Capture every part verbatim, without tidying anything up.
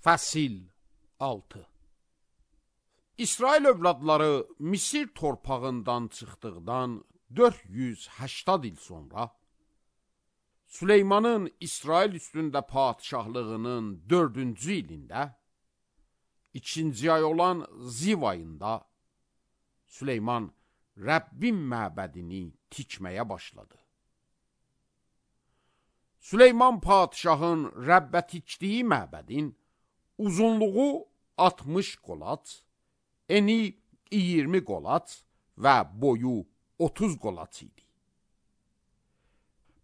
Fəsil altı. İsrail övladları Misir torpağından çıxdıqdan dörd yüz səksən il sonra Süleymanın İsrail üstündə padişahlığının dördüncü ilində, ikinci ay olan Ziv ayında Süleyman Rəbbin məbədini tikməyə başladı. Süleyman padişahın Rəbbə tikdiyi məbədin uzunluğu altmış qolat, eni iyirmi qolat və boyu otuz qolat idi.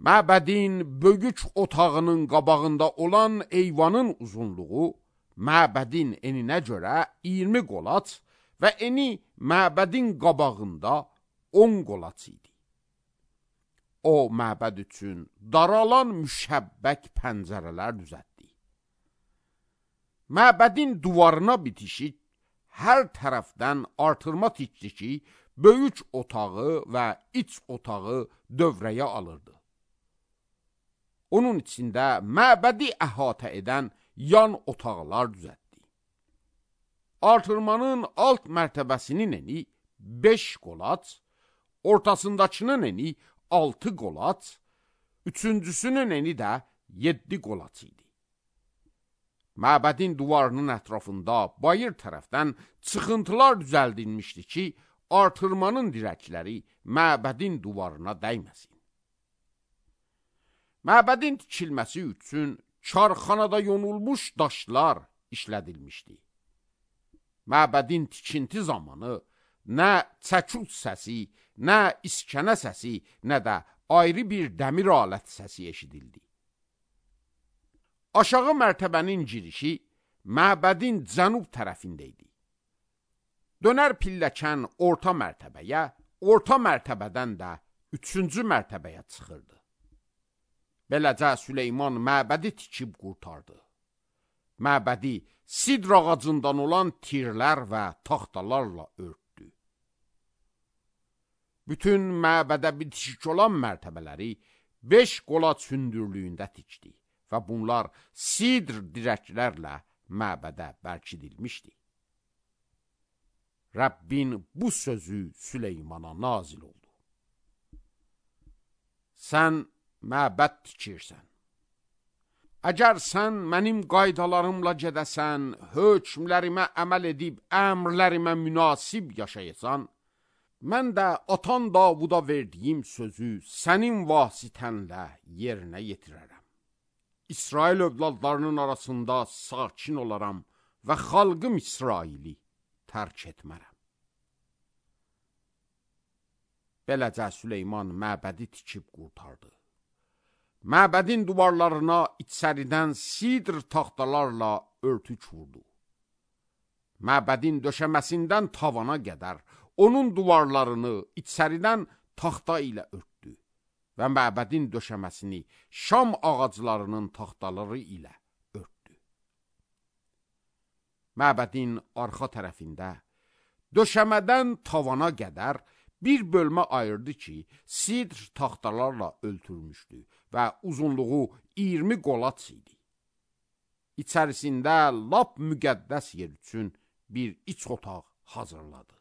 Məbədin böyük otağının qabağında olan eyvanın uzunluğu məbədin eninə görə iyirmi qolat və eni məbədin qabağında on qolat idi. O, məbəd üçün daralan müşəbbək pəncərələr düzəltdi. Məbədin duvarına bitişik hər tərəfdən artırma tikdi ki, böyük otağı və iç otağı dövrəyə alırdı. Onun içində məbədi əhatə edən yan otaqlar düzəltdi. Artırmanın alt mərtəbəsinin eni beş qolat, ortasındakının eni altı qolat, üçüncüsünün eni də yeddi qolat idi. Məbədin duvarının ətrafında bayır tərəfdən çıxıntılar düzəldilmişdi ki, artırmanın dirəkləri məbədin duvarına dəyməsin. Məbədin tikilməsi üçün çarxanada yonulmuş daşlar işlədilmişdi. Məbədin tikinti zamanı nə çəkut səsi, nə iskənə səsi, nə də ayrı bir dəmir alət səsi eşidildi. Aşağı mərtəbənin girişi məbədin cənub tərəfində idi. Dönər pilləkən orta mərtəbəyə, orta mərtəbədən də üçüncü mərtəbəyə çıxırdı. Beləcə Süleyman məbədi tikib qurtardı. Məbədi sidr ağacından olan tirlər və taxtalarla örtdü. Bütün məbədə bitişik olan mərtəbələri beş qolat hündürlüyündə tikdi və bunlar sidr dirəklərlə məbədə bərkidilmişdi. Rəbbin bu sözü Süleymana nazil oldu. Sən məbəd tikirsən. Əgər sən mənim qaydalarımla gedəsən, hökmlərimə əməl edib əmrlərimə münasib yaşayasan, mən də atan Davuda verdiyim sözü sənin vasitənlə yerinə yetirərəm. İsrail övladlarının arasında sakin olaram və xalqım İsraili tərk etmərəm. Beləcə Süleyman məbədi tikib qurtardı. Məbədin duvarlarına içəridən sidr taxtalarla örtük vurdu. Məbədin döşəməsindən tavana qədər onun duvarlarını içəridən taxta ilə örtdü və məbədin döşəməsini şam ağaclarının taxtaları ilə örtdü. Məbədin arxa tərəfində döşəmədən tavana qədər bir bölmə ayırdı ki, sidr taxtalarla örtülmüşdü və uzunluğu iyirmi qolat idi. İçərisində lap müqəddəs yer üçün bir iç otaq hazırladı.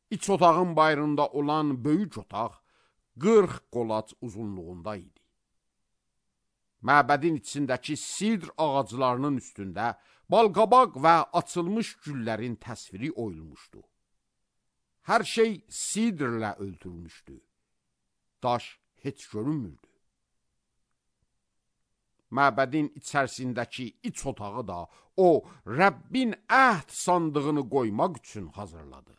İç otağın bayırında olan böyük otaq qırx qolat uzunluğunda idi. Məbədin içindəki sidr ağaclarının üstündə balqabaq və açılmış güllərin təsviri oyulmuşdu. Hər şey sidrlə örtülmüşdü. Daş heç görünmürdü. Məbədin içərisindəki iç otağı da o, Rəbbin əhd sandığını qoymaq üçün hazırladı.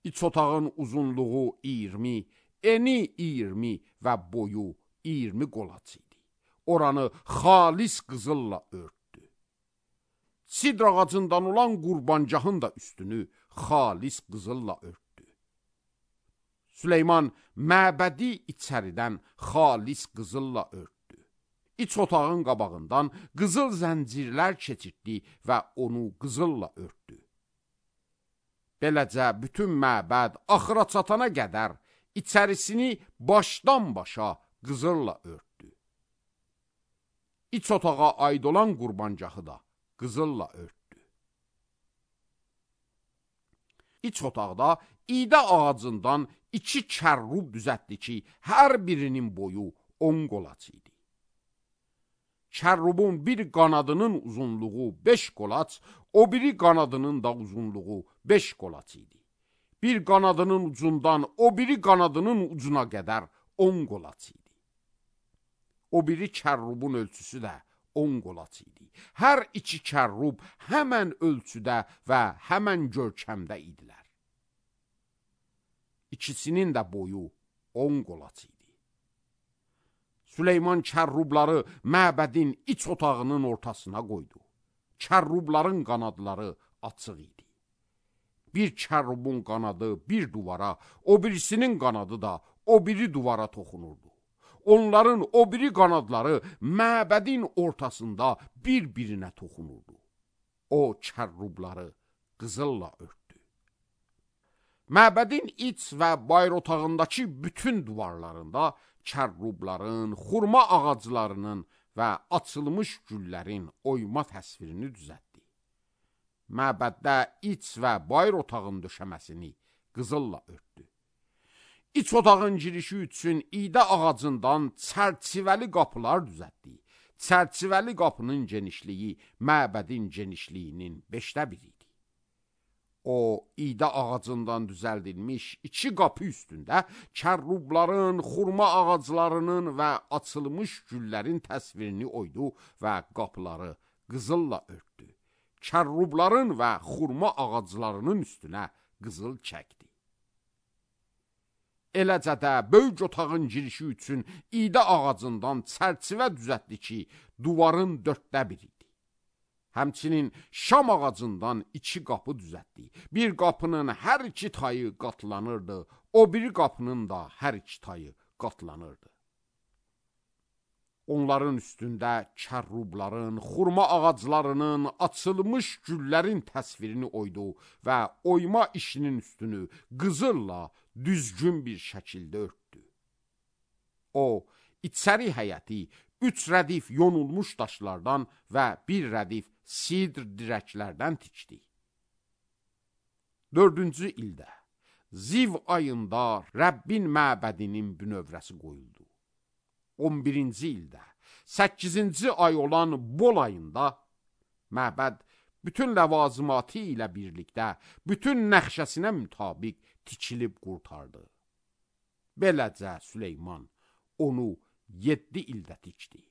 İç otağın uzunluğu iyirmi, eni iyirmi və boyu iyirmi qolat idi. Oranı xalis qızılla örtdü. Sidr ağacından olan qurbancahın da üstünü xalis qızılla örtdü. Süleyman məbədi içəridən xalis qızılla örtdü. İç otağın qabağından qızıl zəncirlər keçirtdi və onu qızılla örtdü. Beləcə bütün məbəd axıra çatana qədər içərisini başdan başa qızılla örtdü. İç otağa aid olan qurbancahı da qızılla örtdü. İç otaqda iydə ağacından iki kərrub düzəltdi ki, hər birinin boyu on qolaç idi. Kərrubun bir qanadının uzunluğu beş qolaç, o biri qanadının da uzunluğu beş qolaç idi. Bir qanadının ucundan o biri qanadının ucuna qədər on qolaç idi. O biri kərrubun ölçüsü də on qolaç idi. Hər iki kərrub həmən ölçüdə və həmən görkəmdə idilər. İkisinin də boyu on qolaç idi. Süleyman kərrubları məbədin iç otağının ortasına qoydu. Kərrubların qanadları açıq idi. Bir kərrubun qanadı bir duvara, o birisinin qanadı da o biri duvara toxunurdu. Onların o biri qanadları məbədin ortasında bir-birinə toxunurdu. O kərrubları qızılla örtdü. Məbədin iç və bayır otağındakı bütün divarlarında kərrubların, xurma ağaclarının və açılmış güllərin oyma təsvirini düzəltdi. Məbəddə iç və bayır otağın döşəməsini qızılla örtdü. İç otağın girişi üçün iydə ağacından çərçivəli qapılar düzəltdi. Çərçivəli qapının genişliyi məbədin genişliyinin beşdə biri idi. O, iydə ağacından düzəldilmiş iki qapı üstündə kərrubların, xurma ağaclarının və açılmış güllərin təsvirini oydu və qapıları qızılla örtdü. Kərrubların və xurma ağaclarının üstünə qızıl çəkdi. Eləcə də böyük otağın girişi üçün iydə ağacından çərçivə düzəltdi ki, duvarın dörddə biri idi. Həmçinin şam ağacından iki qapı düzəltdi. Bir qapının hər iki tayı qatlanırdı, o biri qapının da hər iki tayı qatlanırdı. Onların üstündə kərrubların, xurma ağaclarının, açılmış güllərin təsvirini oydu və oyma işinin üstünü qızılla düzgün bir şəkildə örtdü. O, içəri həyəti üç rədif yonulmuş daşlardan və bir rədif sidr dirəklərdən tikdi. Dördüncü ildə, Ziv ayında Rəbbin məbədinin bünövrəsi qoyuldu. on birinci ildə, səkkizinci ay olan Bol ayında, məbəd bütün ləvazimatı ilə birlikdə, bütün nəxşəsinə mütabiq tikilib qurtardı. Beləcə Süleyman onu yeddi ildə tikdi.